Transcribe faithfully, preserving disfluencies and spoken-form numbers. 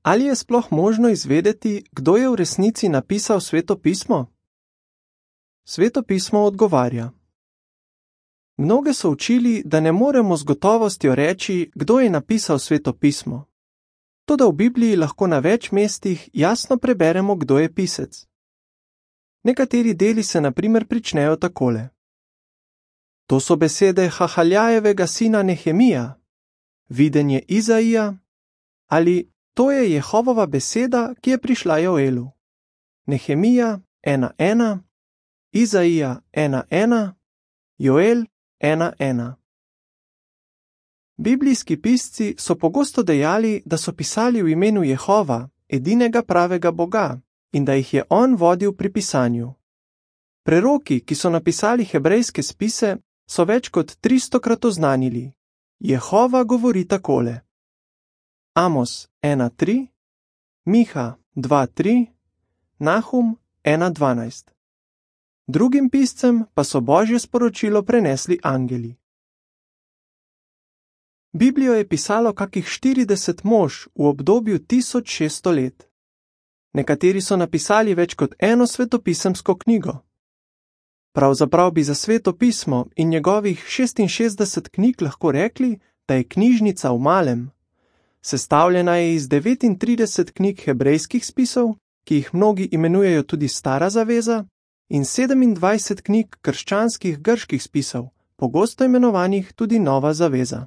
Ali je sploh možno izvedeti, kdo je v resnici napisal Sveto pismo? Sveto pismo odgovarja. Mnoge so učili, da ne moremo z gotovostjo reči, kdo je napisal Sveto pismo. Toda v Bibliji lahko na več mestih jasno preberemo, kdo je pisec. Nekateri deli se na primer pričnejo takole. To so besede Hahaljajevega sina Nehemija, videnje Izaija, ali to je Jehovova beseda, ki je prišla Joelu. Nehemija ena ena, Izaija ena ena, Joel ena ena. Biblijski pisci so pogosto dejali, da so pisali v imenu Jehova, edinega pravega Boga, in da jih je on vodil pri pisanju. Preroki, ki so napisali hebrejske spise, so več kot tristokrat oznanili. Jehova govori takole. Amos ena tri, Miha dva tri, Nahum ena dvanajst. Drugim piscem pa so Božje sporočilo prenesli angeli. Biblijo je pisalo kakih štirideset mož v obdobju tisoč šeststo let. Nekateri so napisali več kot eno svetopisemsko knjigo. Pravzaprav bi za Sveto pismo in njegovih šestinšestdeset knjig lahko rekli, da je knjižnica v malem. Sestavljena je iz devetintrideset knjig hebrejskih spisov, ki jih mnogi imenujejo tudi Stara zaveza, in sedemindvajset knjig krščanskih grških spisov, pogosto imenovanih tudi Nova zaveza.